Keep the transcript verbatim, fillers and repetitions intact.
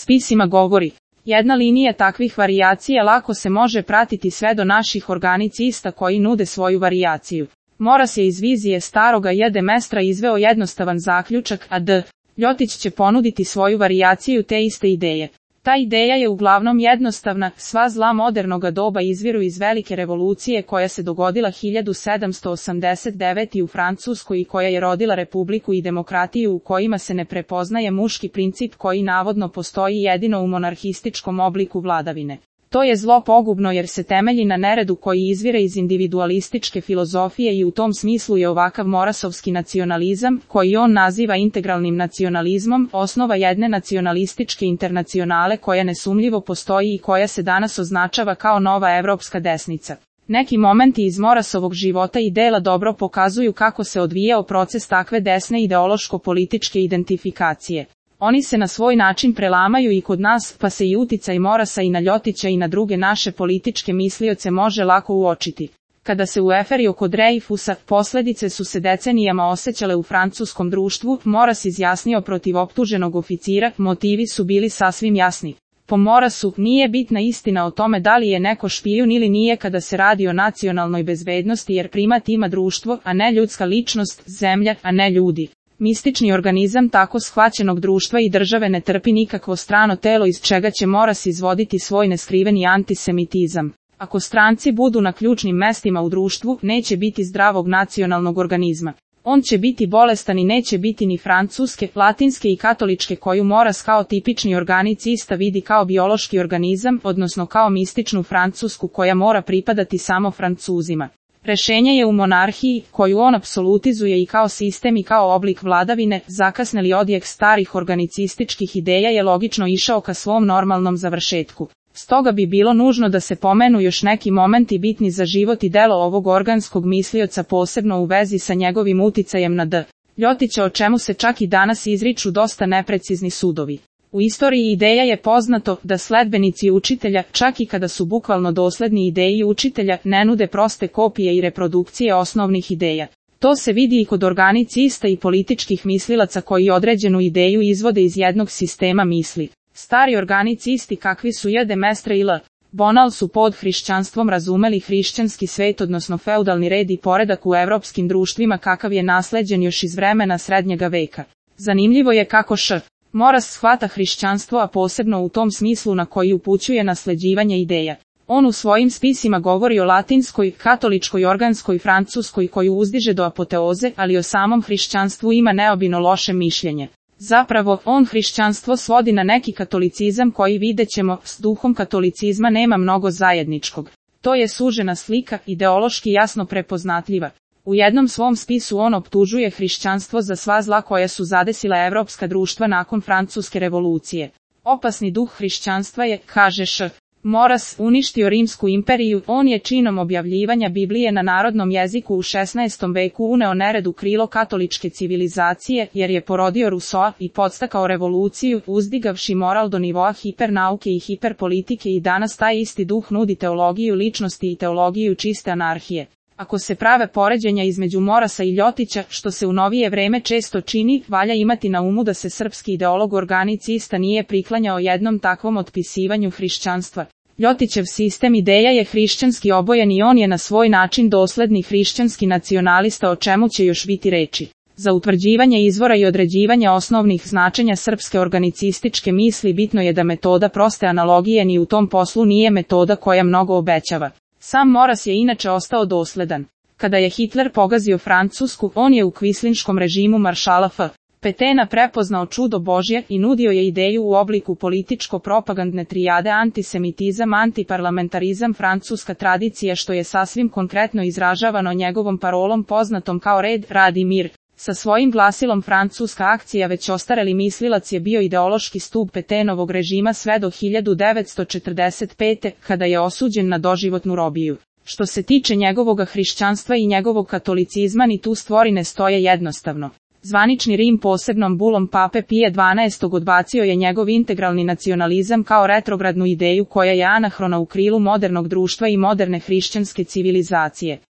spisima govori. Jedna linija takvih varijacija lako se može pratiti sve do naših organicista koji nude svoju varijaciju. Moras je iz vizije staroga J. de Maistra izveo jednostavan zaključak, a D. Ljotić će ponuditi svoju varijaciju te iste ideje. Ta ideja je uglavnom jednostavna, sva zla modernoga doba izviru iz velike revolucije koja se dogodila hiljadu sedamsto osamdeset devete. u Francuskoj i koja je rodila republiku i demokratiju u kojima se ne prepoznaje muški princip koji navodno postoji jedino u monarhističkom obliku vladavine. To je zlo pogubno jer se temelji na neredu koji izvire iz individualističke filozofije i u tom smislu je ovakav morasovski nacionalizam, koji on naziva integralnim nacionalizmom, osnova jedne nacionalističke internacionale koja nesumljivo postoji i koja se danas označava kao nova evropska desnica. Neki momenti iz Morasovog života i dela dobro pokazuju kako se odvijao proces takve desne ideološko-političke identifikacije. Oni se na svoj način prelamaju i kod nas, pa se i uticaj Morasa i na Ljotića i na druge naše političke mislioce može lako uočiti. Kada se u eferi oko Dreyfusa, posljedice su se decenijama osjećale u francuskom društvu, Moras izjasnio protiv optuženog oficira, motivi su bili sasvim jasni. Po Morasu, nije bitna istina o tome da li je neko špijun ili nije kada se radi o nacionalnoj bezbednosti jer primat ima društvo, a ne ljudska ličnost, zemlja, a ne ljudi. Mistični organizam tako shvaćenog društva i države ne trpi nikakvo strano telo iz čega će Moras izvoditi svoj neskriveni antisemitizam. Ako stranci budu na ključnim mestima u društvu, neće biti zdravog nacionalnog organizma. On će biti bolestan i neće biti ni francuske, latinske i katoličke koju Moras kao tipični organicista vidi kao biološki organizam, odnosno kao mističnu francusku koja mora pripadati samo Francuzima. Rešenje je u monarhiji, koju on apsolutizuje i kao sistem i kao oblik vladavine, zakasneli odjek starih organicističkih ideja je logično išao ka svom normalnom završetku. Stoga bi bilo nužno da se pomenu još neki momenti bitni za život i delo ovog organskog mislioca posebno u vezi sa njegovim uticajem na D. Ljotića o čemu se čak i danas izriču dosta neprecizni sudovi. U istoriji ideja je poznato da sledbenici učitelja, čak i kada su bukvalno dosledni ideji učitelja, ne nude proste kopije i reprodukcije osnovnih ideja. To se vidi i kod organicista i političkih mislilaca koji određenu ideju izvode iz jednog sistema misli. Stari organicisti kakvi su J. de Maistre i L. Bonal su pod hrišćanstvom razumeli hrišćanski svet odnosno feudalni red i poredak u evropskim društvima kakav je nasleđen još iz vremena srednjega veka. Zanimljivo je kako Š. Moras shvata hrišćanstvo, a posebno u tom smislu na koji upućuje nasleđivanje ideja. On u svojim spisima govori o latinskoj, katoličkoj, organskoj, francuskoj koju uzdiže do apoteoze, ali o samom hrišćanstvu ima neobično loše mišljenje. Zapravo, on hrišćanstvo svodi na neki katolicizam koji videćemo, s duhom katolicizma nema mnogo zajedničkog. To je sužena slika, ideološki jasno prepoznatljiva. U jednom svom spisu on optužuje hrišćanstvo za sva zla koja su zadesila evropska društva nakon Francuske revolucije. Opasni duh hrišćanstva je, kaže Š. Moras, uništio Rimsku imperiju, on je činom objavljivanja Biblije na narodnom jeziku u šesnaestom veku uneo nered u krilo katoličke civilizacije, jer je porodio Rusoa i podstakao revoluciju, uzdigavši moral do nivoa hipernauke i hiperpolitike i danas taj isti duh nudi teologiju ličnosti i teologiju čiste anarhije. Ako se prave poređenja između Morasa i Ljotića, što se u novije vreme često čini, valja imati na umu da se srpski ideolog organicista nije priklanjao jednom takvom otpisivanju hrišćanstva. Ljotićev sistem ideja je hrišćanski obojen i on je na svoj način dosledni hrišćanski nacionalista o čemu će još biti reči. Za utvrđivanje izvora i određivanje osnovnih značenja srpske organicističke misli bitno je da metoda proste analogije ni u tom poslu nije metoda koja mnogo obećava. Sam Moras je inače ostao dosledan. Kada je Hitler pogazio Francusku, on je u kvislinškom režimu maršala F. Petena prepoznao čudo Božje i nudio je ideju u obliku političko-propagandne trijade antisemitizam, antiparlamentarizam, francuska tradicija što je sasvim konkretno izražavano njegovom parolom poznatom kao red, rad i mir. Sa svojim glasilom francuska akcija već ostareli mislilac je bio ideološki stup Petenovog režima sve do hiljadu devetsto četrdeset pete. kada je osuđen na doživotnu robiju. Što se tiče njegovog hrišćanstva i njegovog katolicizma ni tu stvari ne stoje jednostavno. Zvanični Rim posebnom bulom pape Pije dvanaestog odbacio je njegov integralni nacionalizam kao retrogradnu ideju koja je anahrona u krilu modernog društva i moderne hrišćanske civilizacije.